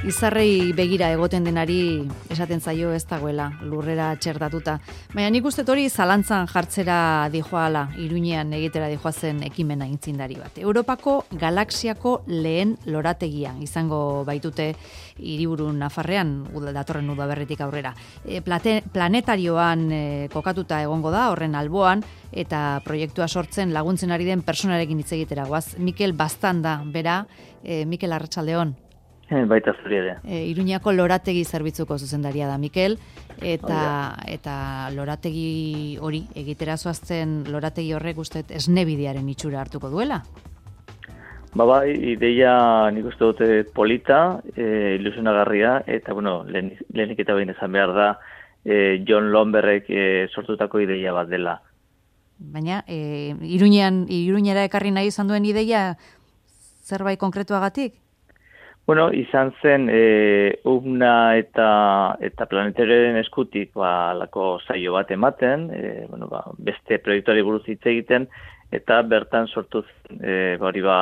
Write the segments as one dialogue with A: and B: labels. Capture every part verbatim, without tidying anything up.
A: Izarrei begira egoten denari esaten zaio ez dagoela lurrera txerdatuta. Baina nik uste hori zalantzan jartzera dijoala, Iruñean egitera dijoazen ekimena intzindari bat. Europako galaxiako lehen lorategia izango baitute hiriburu Nafarrean datorren udaberritik aurrera. E, plate, planetarioan e, kokatuta egongo da horren alboan eta proiektua sortzen laguntzen ari den personarekin hitz egitera goaz. Mikel Bastanda bera, e, Mikel Arratsaldeon.
B: Baita zuri ere.
A: E, Iruñako lorategi zerbitzuko zuzendaria da Mikel, eta, eta lorategi hori, egitera zoazten lorategi horrek uste esnebidearen itxura hartuko duela?
B: Ba bai, ideia nik uste dute polita, e, ilusionagarria, eta bueno, lehen, lehenik eta behin esan behar da, e, John Lomberrek e, sortutako ideia bat dela.
A: Baina, e, Iruñean, Iruñera ekarri nahi izan duen ideia zerbait konkretuagatik?
B: Bueno, izan zen e, UMNA eta eta planetarioaren eskutik ba lako saio bat ematen, e, bueno, ba, beste proiektuari buruz hitz egiten eta bertan sortu e, hori ba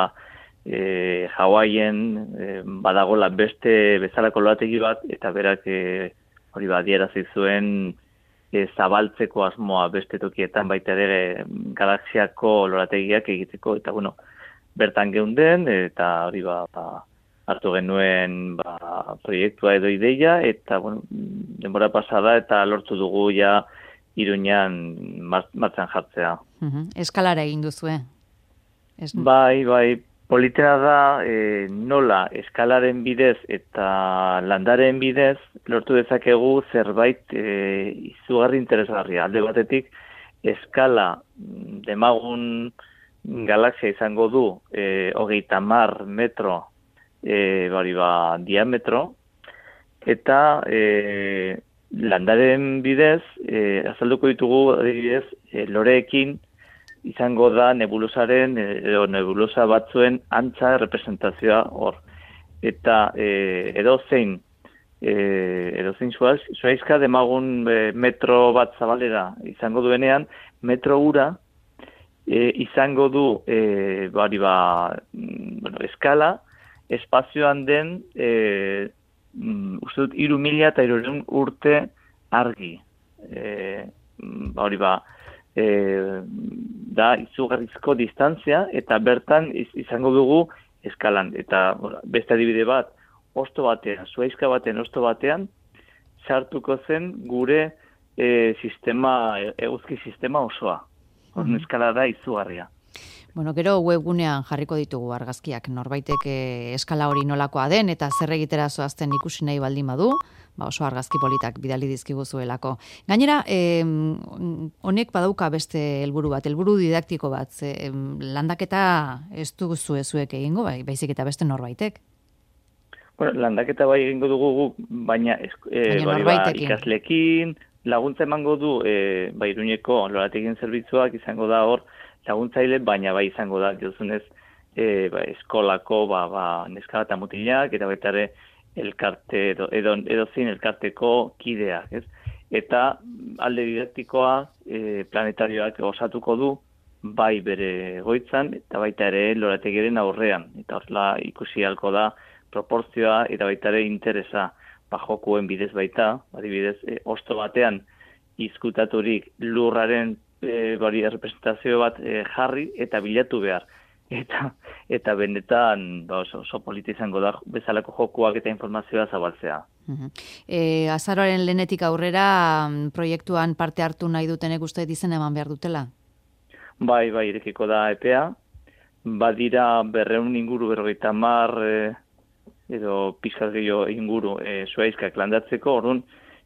B: e, Hawaien e, badagola beste bezalako lorategi bat eta berak e, hori ba adierazi zuen e, zabaltzeko asmoa beste tokietan baita ere galaxiako lorategiak egiteko eta bueno, bertan geunden eta hori ba, ba hartu genuen ba, proiektua edo ideia, eta bueno, denbora pasada eta lortu dugu ja Iruñean martxan jartzea.
A: Uh-huh. Eskalara egin duzue? Es...
B: Bai, bai, politena da e, nola eskalaren bidez eta landaren bidez lortu dezakegu zerbait e, izugarri interesgarria. Alde batetik, eskala demagun galaxia izango du e, hogeita hamar metro E, bari ba, diametro, eta e, landaren bidez, e, azalduko ditugu adibidez, e, loreekin izango da nebulosaren, edo nebulosa batzuen antza representazioa hor. Eta e, edo zein, e, edo zein zuaizka demagun e, metro bat zabalera izango duenean, metro ura e, izango du e, bari ba, bueno, eskala, espazioan den, e, mm, uste dut, iru mila eta irureun urte argi. E, hori ba, e, da izugarrizko distantzia, eta bertan iz, izango dugu eskalan. Eta bueno, beste adibide bat, osto batean, zuaizka batean, osto batean, sartuko zen gure e, sistema, eguzki sistema osoa. Horren mm-hmm. eskala da izugarria.
A: Bueno, gero webgunean jarriko ditugu argazkiak norbaitek eskala hori nolakoa den eta zer egitera zoazten ikusi nahi baldin badu, ba oso argazki politak bidali dizkiguzuelako. Gainera, eh, honek badauka beste helburu bat, helburu didaktiko bat, eh, landaketa ez duzu zuek egingo, bai, baizik eta beste norbaitek.
B: Bueno, landaketa bai egingo dugu guk, baina, eh,
A: baina
B: ba, ikaslekin, laguntza emango du, eh, ba, Iruñeko lorategien zerbitzuak izango da hor, laguntzaile, baina bai izango da, duzunez, e, ba, eskolako ba, ba, neska eta mutilak, eta baita ere elkarte, edo, edo, edo zein elkarteko kideak, ez? Eta alde didaktikoa e, planetarioak osatuko du, bai bere goitzan, eta baita ere lorategiaren aurrean. Eta horrela ikusi halko da proportzioa, eta baita ere interesa, ba, jokuen bidez baita, adibidez, e, osto batean izkutaturik lurraren E, bari representazio bat e, jarri eta bilatu behar. Eta eta benetan ba, oso, oso polita izango da bezalako jokuak eta informazioa zabaltzea.
A: Uh-huh. E, azaroaren lehenetik aurrera proiektuan parte hartu nahi dutenek uste dizen eman behar dutela?
B: Bai, bai, irekiko da epea. Badira berreun inguru berrogeita hamar e, edo pizkat gehiago inguru e, zuaizkak landatzeko, orduan,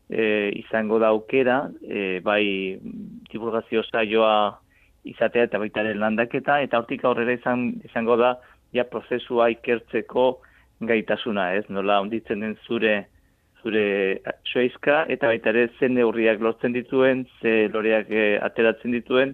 B: E, izango da aukera, e, bai divulgazio saioa izatea eta baita ere landaketa, eta hortik aurrera izan, izango da ja prozesua ikertzeko gaitasuna, ez? Nola onditzen den zure zure soizka, eta baita ere zen neurriak lortzen dituen, ze loreak e, ateratzen dituen,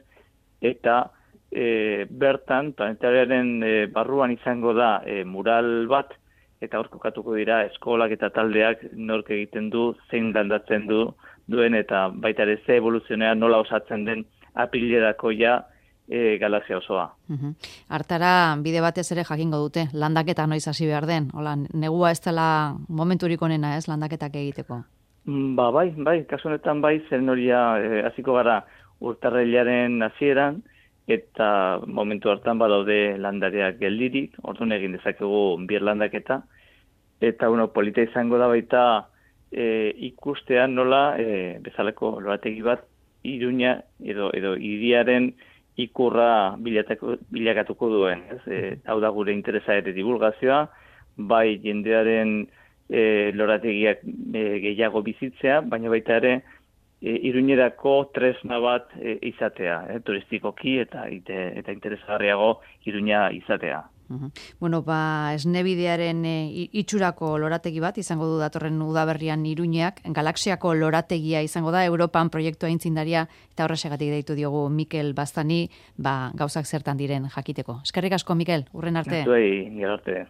B: eta e, bertan planetarioaren e, barruan izango da e, mural bat, eta hor kokatuko dira eskolak eta taldeak nork egiten du, zein landatzen du duen, eta baita ere ze evoluzionea nola osatzen den apilerako ja e, galaxia osoa.
A: Uhum. Artara bide batez ere jakingo dute, landaketa noiz hasi behar den. Hola, negua ez dela momenturik onena, ez, landaketak egiteko.
B: Ba, bai, bai, kasu honetan bai, zen horia e, hasiko gara urtarrilaren hasieran, eta momentu hartan badaude landareak geldirik, orduan egin dezakegu bir landaketa, eta bueno, polita izango da baita e, ikustean nola e, bezalako lorategi bat Iruña edo edo hiriaren ikurra bilatako, bilakatuko duen. Ez? E, hau da gure interesa ere divulgazioa, bai jendearen e, lorategiak e, gehiago bizitzea, baina baita ere e, Iruñerako tresna bat e, izatea, e, turistikoki eta ite, eta interesgarriago Iruña izatea.
A: Uhum. Bueno, ba, esnebidearen e, itxurako lorategi bat izango du datorren udaberrian Iruñeak, galaxiako lorategia izango da, Europan proiektua aitzindaria, eta horrexegatik deitu diogu Mikel Baztani, ba, gauzak zertan diren jakiteko. Eskerrik asko, Mikel, urren arte.
B: Zuei, gero arte.